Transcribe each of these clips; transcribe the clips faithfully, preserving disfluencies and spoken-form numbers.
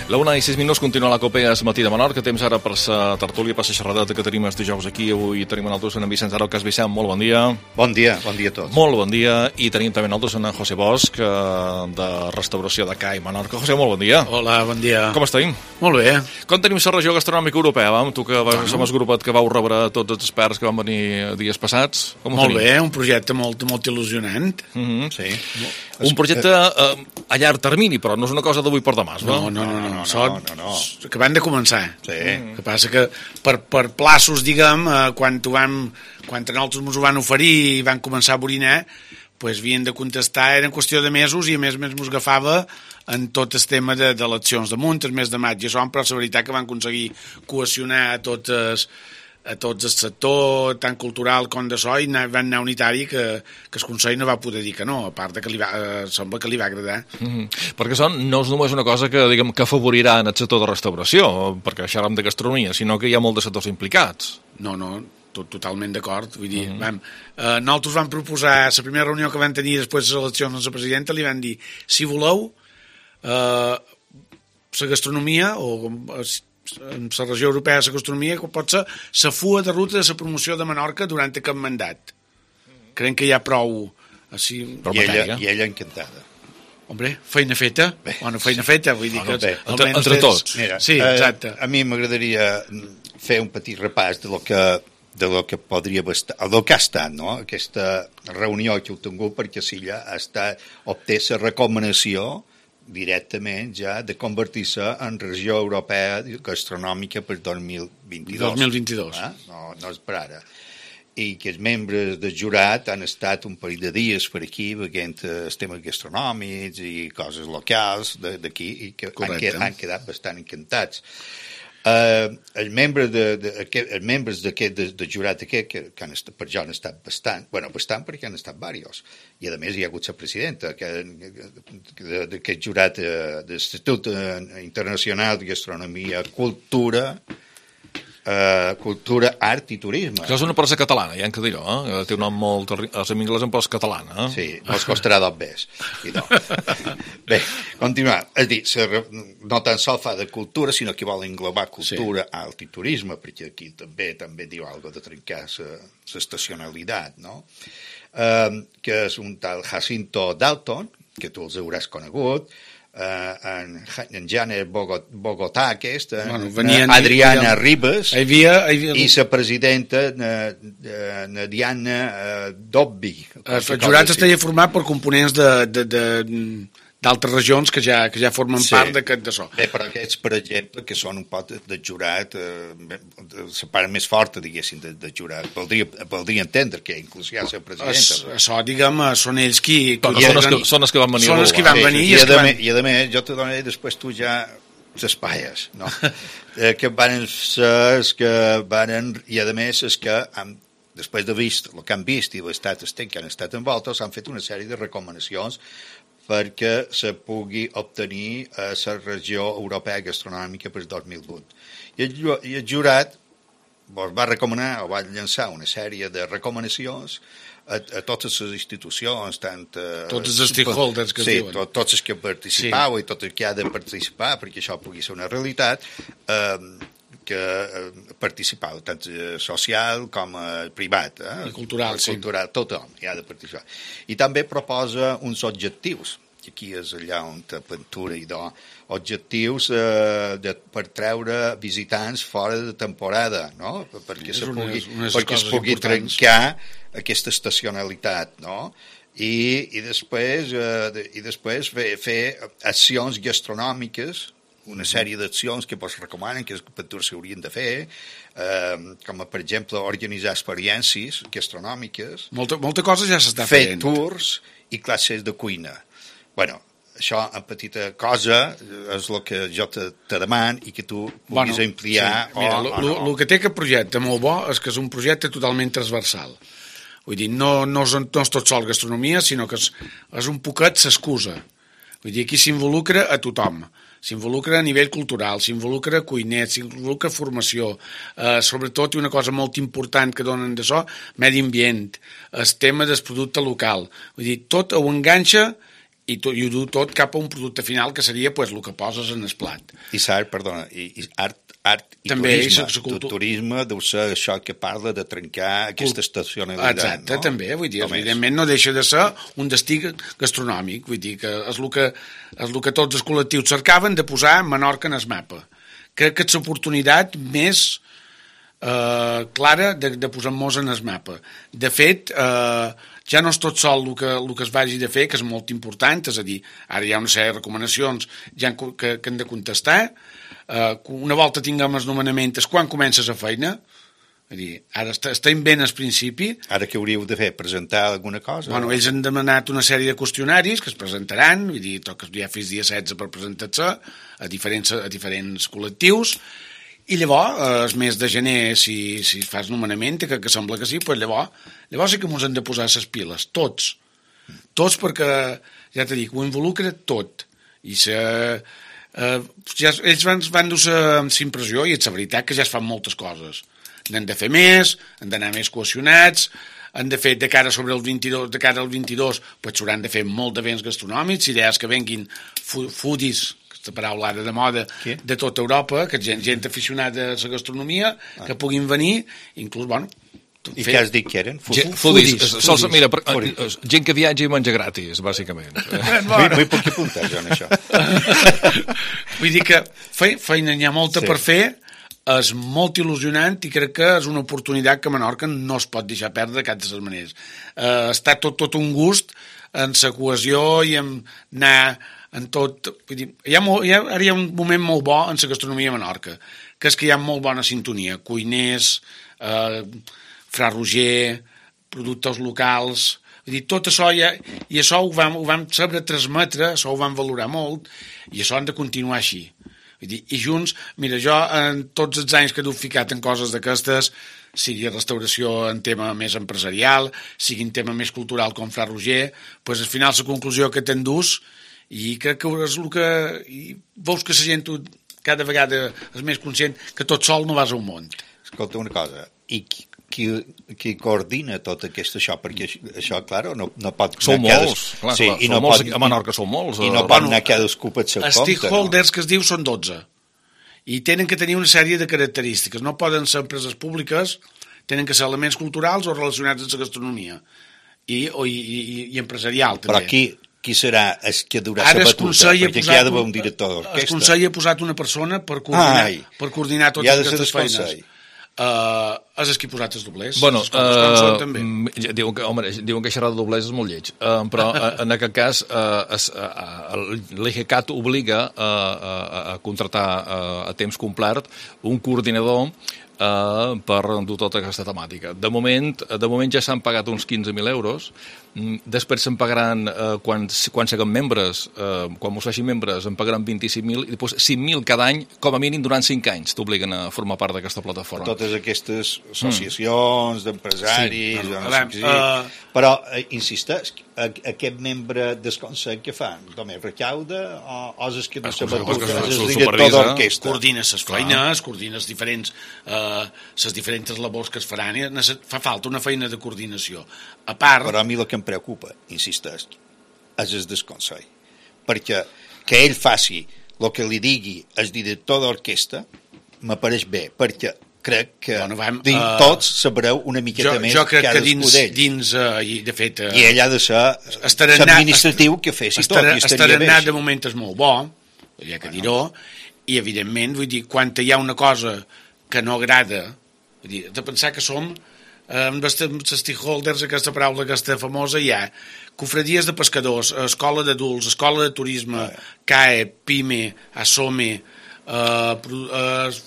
La una i sis minuts, continua la Copa es matí de Menorca. Temps ara per la tertúlia, per la xerradeta que tenim els dijous aquí. Avui tenim nosaltres en Vicenç Araucas. Vicent, molt bon dia. Bon dia, bon dia a tots. Molt bon dia. I tenim també nosaltres en José Bosch, de restauració de C A I Menorca. José, molt bon dia. Hola, bon dia. Com estem? Molt bé. Com tenim la regió gastronòmica europea? Vam? Tu que vas, som el grupet que vau rebre tots els experts que van venir dies passats. Com molt bé, un projecte molt, molt il·lusionant. Mm-hmm. Sí. Un projecte eh, a llarg termini, però no és una cosa d'avui per demà, no? No, no, no, no, no, no, no, no. Que van de començar. Sí. El que passa que per, per plaços, diguem, eh, quan, vam, quan nosaltres ens ho van oferir i van començar a borinar, pues, havien de contestar, era en qüestió de mesos, i a més a més mos agafava en tot el tema d'eleccions de, de munt, el mes de maig, i això, però la veritat que van aconseguir cohesionar a totes a tots el sector, tant cultural com de so, i van anar unitari que, que el Consell no va poder dir que no, a part de que li va, eh, sembla que li va agradar. Mm-hmm. Perquè són, no és només una cosa que, diguem, que afavorirà en el sector de restauració, perquè xerram de gastronomia, sinó que hi ha molts de sectors implicats. No, no, tot, totalment d'acord. Vull dir, mm-hmm. vam, eh, nosaltres vam proposar, la primera reunió que vam tenir després de les eleccions amb la presidenta, li van dir, si voleu, eh, la gastronomia, o en la regió europea de la gastronomia, que pot ser la fua de ruta de la promoció de Menorca durant aquest mandat. Creiem que hi ha prou... Així, I, ella, I ella encantada. Hombre, feina feta. Bé, bueno, feina feta, vull dir bueno, que... Entre, entre tots. Mira, sí, exacte. Eh, a mi m'agradaria fer un petit repàs de lo que, de lo que podria estar, del que ha estat, no? Aquesta reunió que heu tingut, perquè si ja ha estat, obté la recomanació directament ja de convertir-se en regió europea gastronòmica per dos mil vint-i-dos. dos mil vint-i-dos. Eh? No, no és per ara. I que els membres del jurat han estat un parell de dies per aquí veient els temes gastronòmics i coses locals d'aquí i que han, han quedat bastant encantats. Uh, els membres de, de, aquest, els membres d'aquest de, de jurat aquest, que, que han estat, per jo han estat bastant, bueno, bastant perquè han estat diversos, i a més hi ha hagut la presidenta d'aquest jurat de, de l'Institut Internacional de Gastronomia, Cultura, Uh, cultura, art i turisme. Això és una empresa catalana, ja hem de dir-ho, eh? Té un nom molt... Els en anglès en posa catalana, eh? Sí, no els costarà dos bes. No. Bé, continuar. És dir, no tan sol fa de cultura, sinó que vol englobar cultura, sí, art i turisme, perquè aquí també també diu alguna de trencar l'estacionalitat, no? Uh, que és un tal Jacinto Dalton, que tu els hauràs conegut, Uh, en, en Janet Bogot, Bogotà aquest, bueno, venien, Adriana venien, Ribes hi havia, hi havia... i la presidenta na, na Diana uh, Dobby. El jurat estaria format per components de, de, de, d'altres regions que ja, que ja formen sí, part d'aquest de so. Bé, però aquests, per exemple, que són un pot de jurat, eh, la part més forta, diguéssim, de, de jurat, voldria, voldria entendre que inclús hi ha la presidenta. Es, això, diguem, són ells qui... qui són, els que, són els que van venir. Són els que van venir. I, i, i, a, van... I a més, jo te donaré després tu ja les paies, no? eh, que van ser, que van, i a més és que han, després de vist el que han vist i l'estat que han estat envoltes, han fet una sèrie de recomanacions perquè se pugui obtenir a la regió europea gastronòmica per dos mil vuit. I el, i el jurat pues, va recomanar o va llançar una sèrie de recomanacions a, a totes les institucions, tant... Uh, tots els stakeholders que sí, diuen. To, tots els que participau sí, i tot el que ha de participar perquè això pugui ser una realitat, eh, que eh, participar tant social com eh, privat. Eh? I cultural, sí. Cultural, tothom hi ha de participar. I també proposa uns objectius, que aquí és allà on t'aventura i do, objectius eh, de, per treure visitants fora de temporada, no? Perquè, sí, se pugui, unes, unes perquè es pugui importants. Trencar aquesta estacionalitat, no? I, i després, eh, de, i després fer, fer accions gastronòmiques, una sèrie d'accions que es recomanen, que s'haurien de fer, eh, com per exemple organitzar experiències gastronòmiques, molta, molta cosa ja s'està fent, fer tours i classes de cuina. Bueno, això en petita cosa és el que jo te, te deman i que tu puguis bueno, ampliar. Sí. Mira, o, lo, o no. El que té aquest projecte molt bo és que és un projecte totalment transversal. Vull dir, no, no, és, no és tot sol gastronomia, sinó que és, és un poquet s'excusa. Vull dir, aquí s'involucra a tothom. S'involucra a nivell cultural, s'involucra cuiners, s'involucra formació, eh, sobretot una cosa molt important que donen de so, medi ambient, el tema del producte local. Vull dir, tot ho enganxa i, to, i ho du tot cap a un producte final que seria pues, el que poses en el plat. I s'art, perdona, i, i art, art i també, turisme. I cultu... Turisme deu ser això que parla de trencar aquesta estacionalitat. Exacte, no? també, vull dir, Com evidentment és? No deixa de ser un destí gastronòmic, vull dir que és el que, és el que tots els col·lectius cercaven de posar Menorca en el mapa. Crec que és l'oportunitat més eh, clara de, de posar-nos en el mapa. De fet, eh, ja no és tot sol el que, el que es vagi de fer, que és molt important, és a dir, ara hi ha una sèrie de recomanacions ja que, que han de contestar. Uh, una volta tinguem els nomenaments, quan comences a feina? És dir, ara està, estem ben al principi. Ara què hauríeu de fer? Presentar alguna cosa? Bueno, ells han demanat una sèrie de qüestionaris que es presentaran, vull dir, toca ja fins dia setze per presentar-se a diferents, a diferents col·lectius. I llavors, el mes de gener, si, si fas nomenament, que, que sembla que sí, doncs llavors, llavors sí que ens hem de posar les piles, tots. Tots perquè, ja t'he dit, ho involucra tot. I se, eh, ja, ells van, van dur-se amb impressió, i és la veritat que ja es fan moltes coses. N'han de fer més, han d'anar més cohesionats, han de fer de cara sobre el vint-i-dos, de cara al vint-i-dos, doncs s'hauran de fer molt d'events gastronòmics, idees que venguin foodies, aquesta paraula ara de moda, Què? de tota Europa, que gent, gent aficionada a la gastronomia, ah. que puguin venir, inclús, bueno... I què has dit que eren? Foodies. Foodies. Sols, mira, per, foodies. Gent que viatja i menja gratis, bàsicament. M'hi puc apuntar, jo, en això. Vull dir que feina n'hi ha molta sí. per fer, és molt il·lusionant i crec que és una oportunitat que Menorca no es pot deixar perdre de cap de les maneres. Uh, està tot, tot un gust en la cohesió i en anar en tot... Vull dir, hi ha molt, hi ha, ara hi ha un moment molt bo en la gastronomia a Menorca, que és que hi ha molt bona sintonia. Cuiners, eh, Fra Roger, productors locals... Vull dir, tot això ja... I això ho vam, ho vam saber transmetre, això ho vam valorar molt, i això han de continuar així. Vull dir, i junts, mira, jo en tots els anys que he ficat en coses d'aquestes, sigui restauració en tema més empresarial, sigui en tema més cultural com Fra Roger, doncs al final la conclusió que t'endús, i crec que és el que... I veus que la gent cada vegada és més conscient que tot sol no vas a un món. Escolta una cosa, i qui, qui, qui coordina tot aquest això? Perquè això, clar, no, no pot... Són molts, clar, sí, clar, i no molts, pot, a Menorca són molts. I no pot anar cadascú per seu compte. Els stakeholders no? que es diu són dotze. I tenen que tenir una sèrie de característiques. No poden ser empreses públiques, tenen que ser elements culturals o relacionats amb la gastronomia. I, o, i, i, i empresarial, també. Però aquí... Qui serà el que durà la batuta? Perquè aquí ha d'haver un director d'orquestra. El Consell ha posat una persona per coordinar, Ai, per coordinar totes aquestes feines. Uh, és el que ha posat els doblers. Bueno, uh, també. Diuen que, home, diuen que xerrar de doblers és molt lleig, uh, però uh, en aquest cas uh, uh, l'E G C A T obliga uh, uh, a contratar uh, a temps complet un coordinador Uh, per dur tota aquesta temàtica. De moment, de moment ja s'han pagat uns quinze mil euros, després se'n pagaran, uh, quan, quan siguem membres, uh, quan mos facin membres, en pagaran vint-i-cinc mil i després cinc mil cada any, com a mínim durant cinc anys, t'obliguen a formar part d'aquesta plataforma. Totes aquestes associacions mm. d'empresaris, sí. no sé uh... uh... però, uh, insisteix, aquest membre del Consell que fa? Només recauda o, o és que no se batuta? És el director d'orquestra? Coordina les feines, coordina les diferents... Uh, les diferents labors que es faran, fa falta una feina de coordinació. A part... Però a mi el que em preocupa, insisteix, és el del Consell. Perquè que ell faci el que li digui el director d'orquestra m'apareix bé, perquè crec que bueno, vam, dins uh, tots sabreu una miqueta jo, més jo crec que dins, dins uh, i de fet uh, i ell ha de ser l'administratiu que fessi tot, i estaria bé. Estarà de moment és molt bo, hi ha que dir-ho, i evidentment, vull dir, quan hi ha una cosa que no agrada, vull dir, de pensar que som amb els stakeholders, aquesta paraula aquesta famosa, hi ha cofradies de pescadors, escola d'adults, escola de turisme, C A E, PIME, ASOME, eh, eh,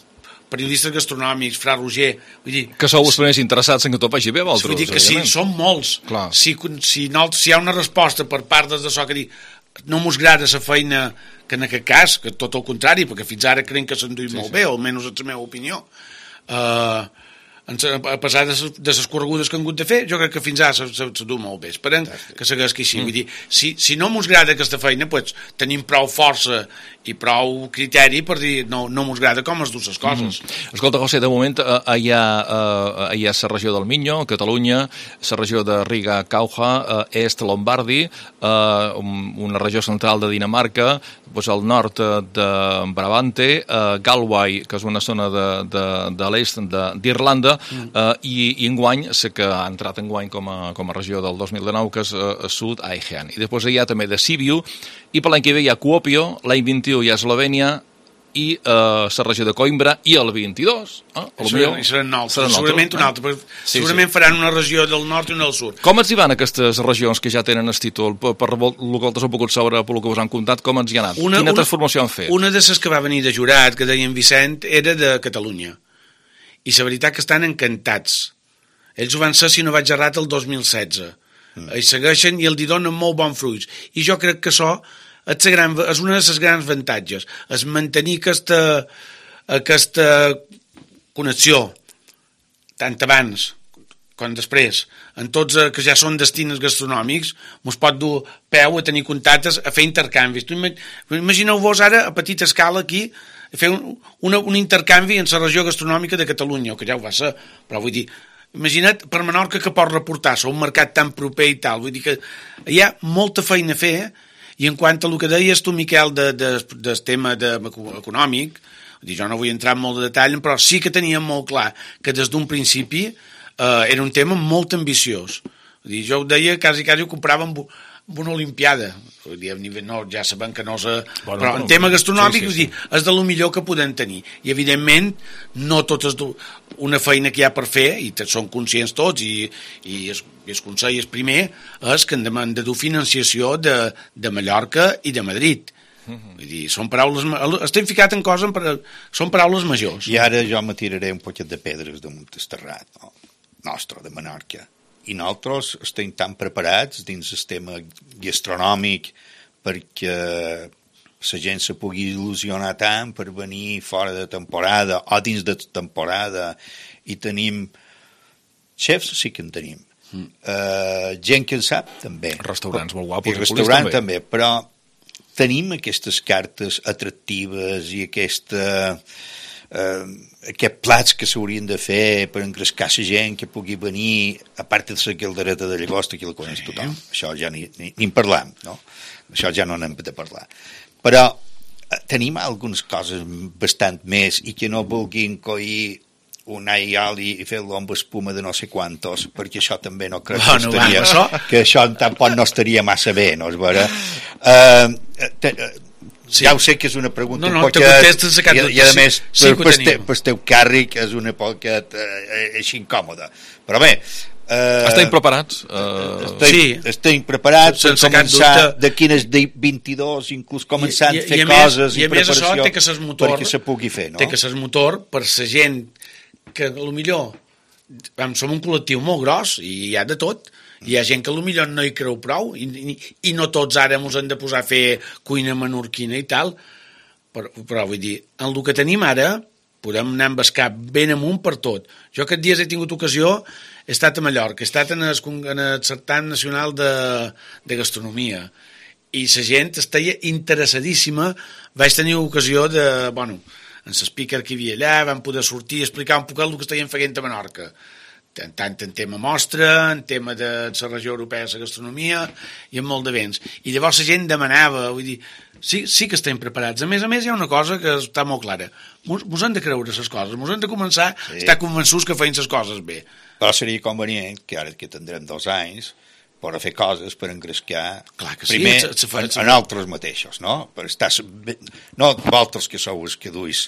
periodistes gastronòmics, Fra Roger, vull dir... Que sou els primers interessats en que tot vagi bé, vosaltres. Vull dir que sí, som molts. Si, si, no, si hi ha una resposta per part des de so que dir no mos agrada la feina, que en aquest cas, que tot el contrari, perquè fins ara creiem que s'enduï sí, molt sí. bé, o almenys és la meva opinió, uh, a pesar de les corregudes que han hagut de fer, jo crec que fins ara se du molt bé. Esperem que segueixi així. Mm. Vull dir, si, si no mos agrada aquesta feina, pues, tenim prou força i prou criteri per dir no, no mos agrada com es du les coses. Mm. Escolta, José, de moment eh, hi ha eh, hi ha la regió del Minho, Catalunya, la regió de Riga-Cauja, eh, est Lombardi, eh, una regió central de Dinamarca, pues, al nord de Brabante, eh, Galway, que és una zona de, de, de l'est d'Irlanda, mm. eh, i, i enguany, sé que ha entrat enguany com a, com a regió del dos mil dinou, que és eh, Sud Aegean. I després hi ha també de Sibiu, i per l'any que ve hi ha Kuopio, l'any vint-i-u hi ha Eslovènia, i eh, la regió de Coimbra, i el vint-i-dos. Eh? I seran, seran nous, seran segurament un altre, però sí, segurament sí. Faran una regió del nord i una del sud. Com ens hi van aquestes regions que ja tenen el títol? Per, per el que vosaltres heu pogut saber, per el que us han contat, com ens hi ha anat? Una, Quina una, transformació han fet? Una de les que va venir de jurat, que deia en Vicent, era de Catalunya. I la veritat que estan encantats. Ells ho van ser, si no vaig errat, el dos mil setze. Mm. I segueixen i els donen molt bons fruits. I jo crec que això és, gran, és una de les grans avantatges, és mantenir aquesta, aquesta connexió, tant abans com després, en tots que ja són destins gastronòmics, mos pot dur peu a tenir contactes, a fer intercanvis. Imagineu-vos ara, a petita escala aquí, fer un, una, un intercanvi en la regió gastronòmica de Catalunya, que ja ho va ser, però vull dir, imagina't per Menorca que pot reportar-se a un mercat tan proper i tal, vull dir que hi ha molta feina a fer, i en quant a el que deies tu, Miquel, de, de, del tema de, econòmic, dir, jo no vull entrar en molt de detall, però sí que teníem molt clar que des d'un principi eh, era un tema molt ambiciós. Dir, jo ho deia, quasi, quasi ho comprava amb, amb una olimpiada. Dir, no, ja sabem que no és... Bueno, però en tema gastronòmic, sí, sí, sí. Dir, és de lo millor que podem tenir. I, evidentment, no tot és una feina que hi ha per fer, i són conscients tots, i, i el, i el Consell és primer, és que hem de dur financiació de, de Mallorca i de Madrid. Uh-huh. Vull dir, són paraules... Estem ficat en coses, són paraules majors. I ara jo me tiraré un poquet de pedres damunt el terrat, no? Nostre, de Menorca. I nosaltres estem tan preparats dins el tema gastronòmic perquè la gent se pugui il·lusionar tant per venir fora de temporada o dins de temporada, i tenim xefs, sí que en tenim. Mm. Uh, gent que en sap, també. Restaurants molt guapos. I restaurant també. també, però tenim aquestes cartes atractives i aquesta... Uh, aquests plats que s'haurien de fer per engrescar la gent que pugui venir, a part de la caldereta de llagosta, que la coneix tothom. Això ja ni, ni, ni en parlam, no? Això ja no n'hem de parlar. Però uh, tenim algunes coses bastant més i que no vulguin coir un all i oli i fer-lo amb espuma de no sé quantos, perquè això també no crec que, no, estaria, això? que això tampoc no estaria massa bé, no és vera? Uh, te, uh, sí. Ja ho sé que és una pregunta no, no, un poquet, i, i a més sí, per, per, te, per teu càrrec és una poquet uh, així incòmoda, però bé uh, estem preparats uh, estem, sí. estem preparats per començar d'aquí als vint-i-dos inclús començant a fer i, i coses més, i, i preparació això, té que motor, perquè se pugui fer, no? Té que ser motor per la gent que potser som un col·lectiu molt gros i hi ha de tot. Hi ha gent que potser no hi creu prou i, i, i no tots ara ens hem de posar a fer cuina menorquina i tal, però, però vull dir, en el que tenim ara podem anar amb el cap ben amunt per tot. Jo aquests dies he tingut ocasió, he estat a Mallorca, he estat en el, en el Certamen Nacional de, de Gastronomia, i la gent estava interessadíssima. Vaig tenir ocasió de, bueno, en l'speaker que hi havia allà, vam poder sortir i explicar un poc el que estaven fent a Menorca, tant en tema mostra, en tema de la regió europea de la gastronomia i en molt d'events. I llavors la gent demanava, vull dir, sí, sí que estem preparats. A més a més hi ha una cosa que està molt clara. Mos, mos hem de creure les coses, mos hem de començar sí. a estar convençuts que feien les coses bé. Però seria convenient que ara que tindrem dos anys per fer coses per engrescar Clar que primer sí, se, se fa, en, en altres mateixos, no? Per estar, no vosaltres que sou els que duis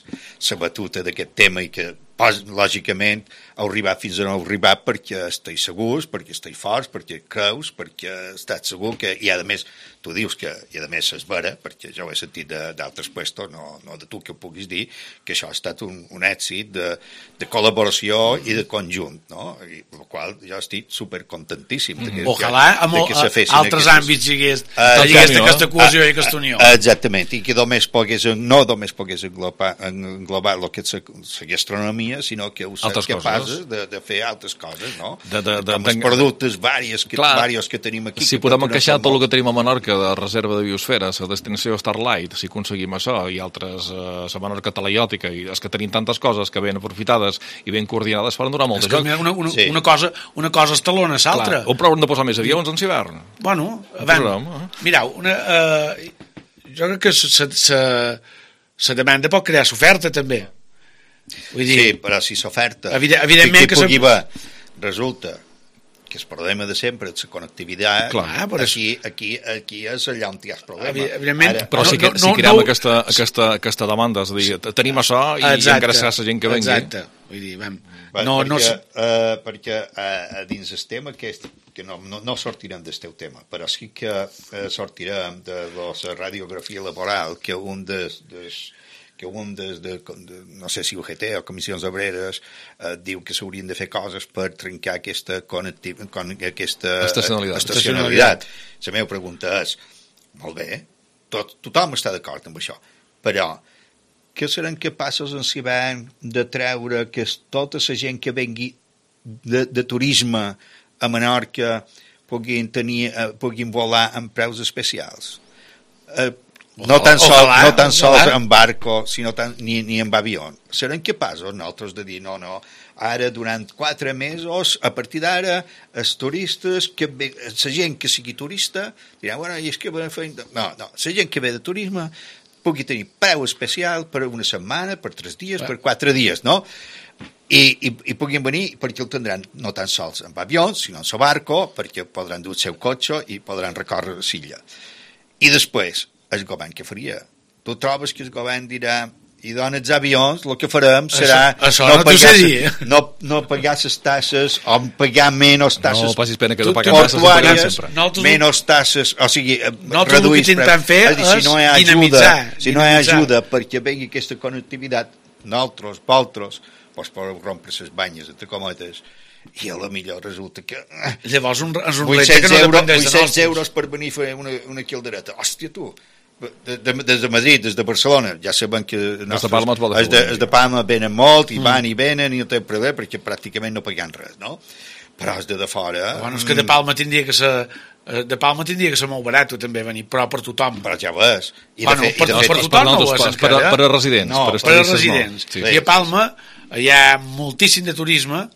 la batuta d'aquest tema i que lògicament heu arribat fins on heu arribat perquè esteu segurs, perquè esteu forts, perquè creus, perquè estàs segur que, i a més tu dius que, i a més és vera, perquè jo ho he sentit d'altres puestos, no, no de tu que ho puguis dir, que això ha estat un, un èxit de, de col·laboració i de conjunt, no? I el qual jo estic supercontentíssim. Mm -hmm. Ojalà amb altres àmbits hi hagués aquesta cohesió i aquesta unió. Exactament, i que només pogués, no només pogués englobar, englobar el que és la gastronomia gastronomia, sinó que heu estat capaços de, de fer altres coses, no? De, de, de, Com els productes varios que, varios que tenim aquí. Si podem encaixar tot el que tenim a Menorca de reserva de biosfera, la destinació Starlight, si aconseguim això, i altres, la eh, Menorca talaiòtica, i és que tenim tantes coses que ben aprofitades i ben coordinades, faran durar molt de joc. Una, una, sí. una, cosa, una cosa estalona l'altra. O però hem de posar més avions en hivern. Bueno, avant, eh? Mireu, una, uh, jo crec que la demanda pot crear l'oferta també. Vull dir, sí, però si s'oferta evidentment que, que pugui haver, resulta que el problema de sempre és la connectivitat. Clar, aquí, aquí, aquí és allà on hi ha el problema. Evidentment, però si, no, no, si creem no, aquesta, aquesta, aquesta demanda, és a dir, tenim això i engreixar la gent que vengui. Exacte, vull dir, vam, no, perquè, no... Uh, perquè uh, dins el tema aquest, que no, no, no sortirem del teu tema, però sí que uh, sortirem de la radiografia laboral, que un dels... des, que un des de, de, no sé si U G T o Comissions Obreres eh, diu que s'haurien de fer coses per trencar aquesta, connecti, con, aquesta estacionalitat. estacionalitat. La meva pregunta és, molt bé, tot, tothom està d'acord amb això, però què seran capaços en l'hivern de treure que tota la gent que vengui de, de turisme a Menorca puguin, tenir, eh, puguin volar amb preus especials? Eh, No tan, sol, ojalà, no tan sols en barco, sinó tan, ni, ni en avió. Serem capaços nosaltres de dir, no, no, ara durant quatre mesos, a partir d'ara, els turistes, que ve, la gent que sigui turista, dirà, bueno, i és que... No, no, la gent que ve de turisme pugui tenir preu especial per una setmana, per tres dies, per quatre dies, no? I, i, i puguin venir perquè el tindran no tan sols en avió, sinó en el barco, perquè podran dur el seu cotxe i podran recórrer l'illa. I després, el govern què faria? Tu trobes que el govern dirà i donen els avions, el que farem serà això, això no, no, pagar, no, no pagar les tasses o pagar menys tasses no passis pena que no paguem tasses portuàries, menys tasses, o sigui, reduir el que intentem fer és dir, si no hi ha ajuda, si no hi ha ajuda perquè vengui aquesta connectivitat, nosaltres, vosaltres, doncs podeu rompre les banyes, entre cometes, i a la millor resulta que... Llavors un, és un repte que no dependeix de nosaltres. vuit-cents euros per venir a fer una, una caldereta. Hòstia, tu! De, de, des de Madrid, des de Barcelona, ja sabem que nostres, de Palma els, de, els de Palma venen molt i mm. van i venen i no té problema perquè pràcticament no paguen res, no? Però els de de fora... Bueno, és que de Palma tindria que ser... De Palma tindria que ser molt barat també venir, però per tothom. Però ja ho és. I bueno, fet, per, i de fet, per tothom no ho és encara. Per, per a residents. No, per, per a residents. Sí. I a Palma hi ha moltíssim de turisme,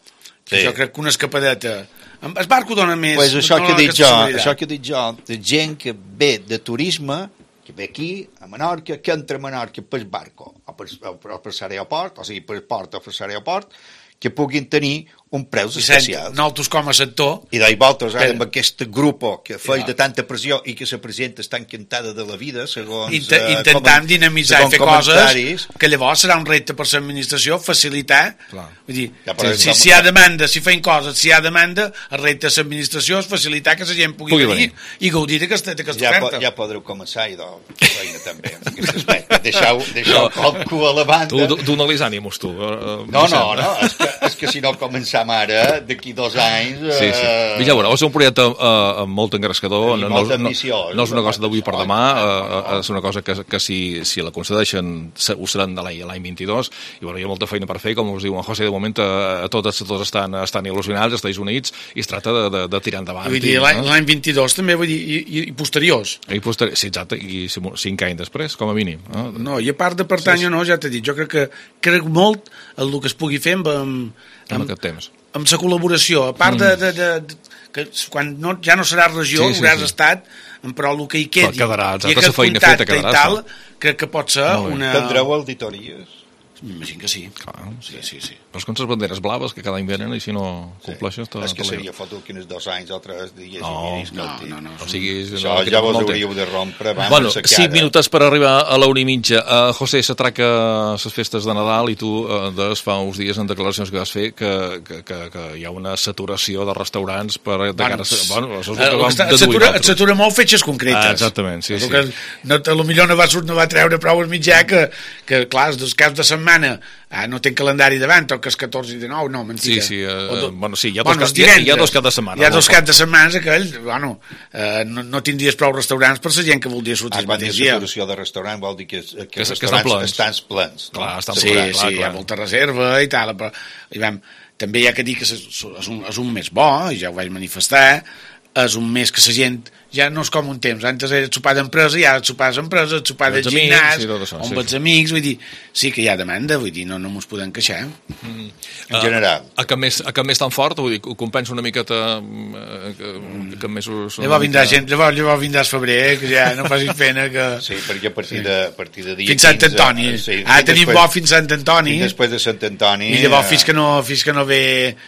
que sí. Jo crec que una escapadeta... El barco dona més... Pues això, que dic jo, això que dic jo, de gent que ve de turisme, que ve aquí, a Menorca, que entra a Menorca per barco, o per, o per l'aeroport, o sigui, per port o per l'aeroport, que puguin tenir un preus especials. Nosaltres com a sector... I d'ahir voltes, ara, amb aquest grup que feia de tanta pressió i que la presidenta està encantada de la vida, segons... Inter uh, intentant dinamitzar i fer coses que llavors serà un repte per l'administració, facilitar... Clar. Vull dir, ja, si, si hi ha demanda, si feim coses, si hi ha demanda, el repte de l'administració és facilitar que la gent pugui, pugui venir, venir i gaudir d'aquesta ja oferta. Po, ja podreu començar, idò, feina també. Deixeu, deixeu no, el cul a la banda. Tu dona-li ànims, tu. Uh, no, no, no, és que, és que si no començar ara, d'aquí dos anys... Eh... Sí, sí. Mira, veure, és un projecte eh, molt engrescador, no, no, no, no és una cosa d'avui per demà, eh, és una cosa que, que si, si la concedeixen ho seran de l'any vint-i-dos, i bueno, hi ha molta feina per fer, com us diu en José, de moment a tots, tots estan, estan il·lusionats, estan units, i es tracta de, de, de tirar endavant. Vull dir, l'any vint-i-dos també, vull dir, i, i, i posteriors. I posteriors, sí, exacte, i cinc anys després, com a mínim. Eh? No, i a part de pertany o no, ja t'he dit, jo crec que crec molt el que es pugui fer amb... amb en aquest temps. Amb la col·laboració, a part de, de, de, de que quan no, ja no serà regió, sí, sí, hauràs sí. estat, però el que hi quedi quedarà, i aquest contacte i tal, crec que pot ser una... Tindreu auditories? M'imagino que sí. Clar, sí, sí, sí. Però és com les banderes blaves que cada any venen i si no compleixes... Sí. És que seria foto que uns dos anys o tres dies no, i no, no, no, o sigui, això no, ja vos hauríeu de rompre. Bueno, cinc minuts per arribar a la una i mitja. Uh, José, s'atraca les festes de Nadal i tu uh, des fa uns dies en declaracions que vas fer que, que, que, que hi ha una saturació de restaurants per... De bueno, cara a... bueno, això és el que vam deduir. Et satura molt fetges concretes. Ah, exactament, sí, sí. Que no, a lo millor no va, no va treure prou el mitjà que, que clar, els caps de setmana ah, no tenen calendari davant, o que és catorze i dinou, no, mentida. Sí, sí, uh, do... bueno, sí, hi ha bueno, dos, hi ha, hi ha dos caps de setmana. Hi ha dos caps de setmana, aquells, bueno, uh, no, no tindries prou restaurants per la gent que voldria sortir el mateix dia. La saturació de restaurant vol dir que, que, que els restaurants estan plens. Clar, no? estan sí, plens, sí, clar, hi clar. ha molta reserva i tal, però i vam, també hi ha que dir que és, és, un, és un mes bo, i ja ho vaig manifestar, és un mes que la gent ja no és com un temps, antes era sopar d'empresa i ara sopar d'empresa, sopar de gimnàs sí, on sí. Vaig amics, vull dir sí que hi ha demanda, vull dir, no, no mos podem queixar mm. en general a, a que més, a que més tan fort, vull dir, ho compensa una miqueta a, que, que mesos llavors vindrà mica... gent, llavors, llavors vindrà el febrer que ja no facis pena que... sí, perquè a partir de, a partir de dia fins Sant Antoni, quinze, sí, ah, tenim després, bo fins Sant Antoni fins després de Sant Antoni i llavors fins que no, fins que no ve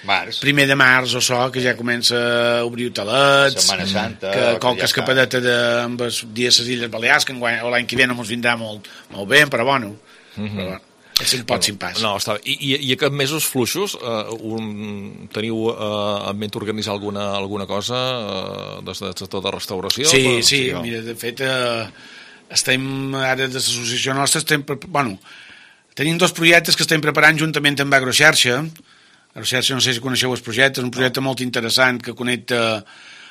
març. Primer de març o so, que ja comença a obrir hotelets Setmana Santa que qualque ja escapadeta de, amb els dies a les Illes Balears que l'any que ve no ens vindrà molt, molt bé, però bueno, mm -hmm. però bueno és un pot sin pas. No, està bé. I, i, i aquests mesos fluixos uh, un, teniu uh, en ment organitzar alguna, alguna cosa uh, des del sector de restauració? Sí, però, sí, sí, mira, de fet uh, estem ara de l'associació nostra estem, bueno, tenim dos projectes que estem preparant juntament amb Agroxarxa. Agroxarxa, no sé si coneixeu el projecte, és un projecte molt interessant que connecta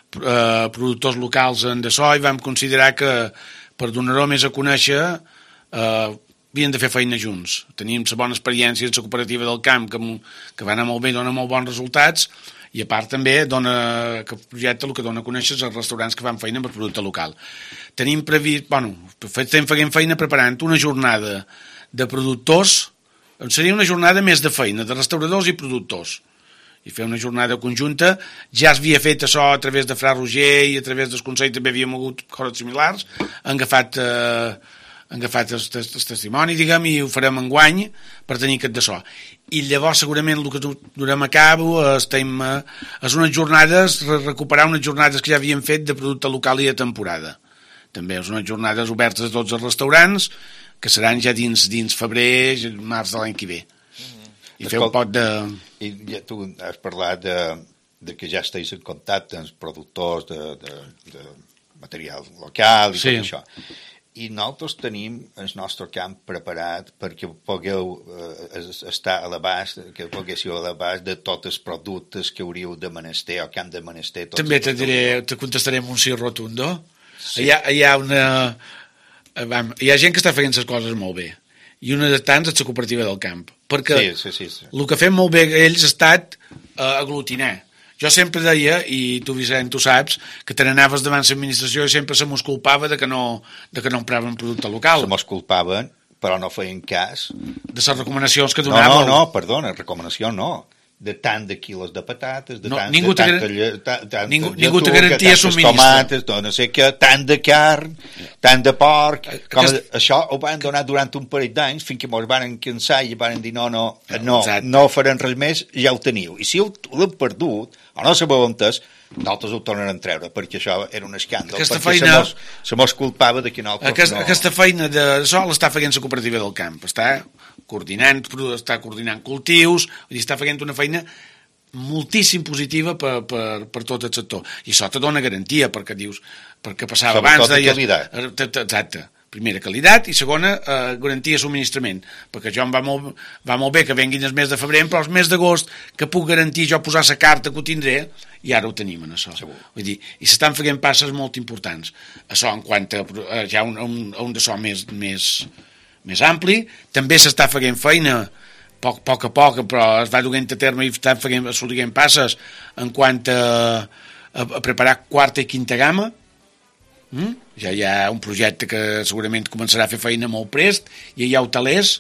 Uh, productors locals en de so i vam considerar que per donar-ho més a conèixer uh, havien de fer feina junts. Teníem la bona experiència en la cooperativa del camp que, que va anar molt bé i dona molt bons resultats i a part també dona, que el projecte el que dona a conèixer és els restaurants que fan feina amb el producte local. Tenim previst, bueno, estem fent feina preparant una jornada de productors, seria una jornada més de feina, de restauradors i productors, i fer una jornada conjunta. Ja es havia fet això a través de Fra Roger i a través del Consell també havíem hagut coses similars, han agafat, eh, han agafat el, el, el testimoni, diguem, i ho farem enguany per tenir aquest de so. I llavors segurament el que durem a cabo estem, eh, és unes jornades, recuperar unes jornades que ja havíem fet de producte local i de temporada. També és unes jornades obertes a tots els restaurants que seran ja dins, dins febrer, març de l'any que ve. I fer un pot de... I ja tu has parlat de, de que ja esteu en contacte amb els productors de, de, de material local i sí. Tot això. I nosaltres tenim el nostre camp preparat perquè pugueu eh, estar a l'abast, que poguéssiu a l'abast de tots els productes que hauríeu de menester o que han de menester. També te diré, te contestaré amb un sí rotundo. Sí. Hi, ha, hi ha una... Hi ha gent que està fent les coses molt bé. I una de tants és la cooperativa del camp. Perquè sí, sí, sí, sí. el que fem molt bé ells ha estat uh, aglutinar. Jo sempre deia, i tu Vicent, tu saps, que te n'anaves davant l'administració i sempre se mos culpava de que no, de que no empraven producte local. Se mos culpaven, però no feien cas. De les recomanacions que donàvem. No, no, no, perdona, recomanació no. De tant de quilos de patates, de no, tant ningú de te, lle, ta, tant ningú, de ningú te garantia subministre. Tomates, no sé què, tant de carn, tant de porc. Com Aquest... Això ho van donar durant un parell d'anys fins que ens van cansar i van dir no, no, no, no farem res més, ja ho teniu. I si ho l'hem perdut, o no sabeu on és, nosaltres ho tornarem a treure, perquè això era un escàndol, aquesta perquè feina... se, mos, se mos culpava de que nosaltres aquesta, no... Aquesta feina de sol està fent la cooperativa del camp, està coordinant, està coordinant cultius, vull dir, està fent una feina moltíssim positiva per, per, per tot el sector. I això te dona garantia, perquè dius, perquè passava sobretot abans... Sobretot qualitat. Exacte. Primera, qualitat, i segona, eh, garantia de subministrament, perquè jo em va molt, va molt bé que venguin el mes de febrer, però el mes d'agost que puc garantir jo posar la carta que ho tindré, i ara ho tenim en això. Segur. Vull dir, i s'estan fent passes molt importants. Això en quant a, a ja un, un, un de so més, més, més ampli, també s'està fent feina poc, poc a poc, però es va duent a terme i estan fent, assolint passes en quant a, a, a preparar quarta i quinta gamma. Mm? Ja hi ha un projecte que segurament començarà a fer feina molt prest i hi ha hotelers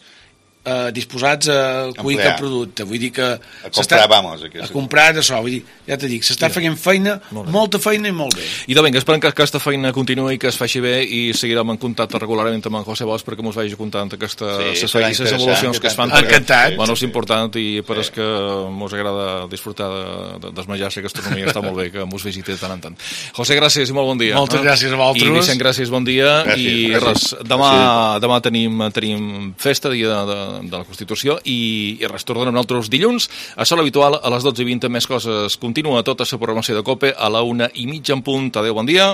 eh, disposats a cuir el producte, vull dir que a comprar, vamos, a comprar d'això, vull dir, ja t'he dit, s'està fent feina, molta feina i molt bé. I de vinga, esperem que aquesta feina continuï i que es faci bé i seguirem en contacte regularment amb en José Bosch perquè mos vagi contant aquestes sí, les evolucions que es fan. Encantat. Bueno, és important i per és que mos agrada disfrutar de, de, dels menjars i gastronomia, està molt bé que mos visiti de tant en tant. José, gràcies i molt bon dia. Moltes gràcies a vosaltres. I Vicent, gràcies, bon dia. Gràcies, i gràcies. res, demà, sí. demà tenim, tenim festa, dia de, de, de la Constitució, i, i res, tornem nosaltres dilluns a sol habitual a les dotze i vint. Més coses. Continua tota la programació de COPE a la una i mitja en punt. Adéu, bon dia.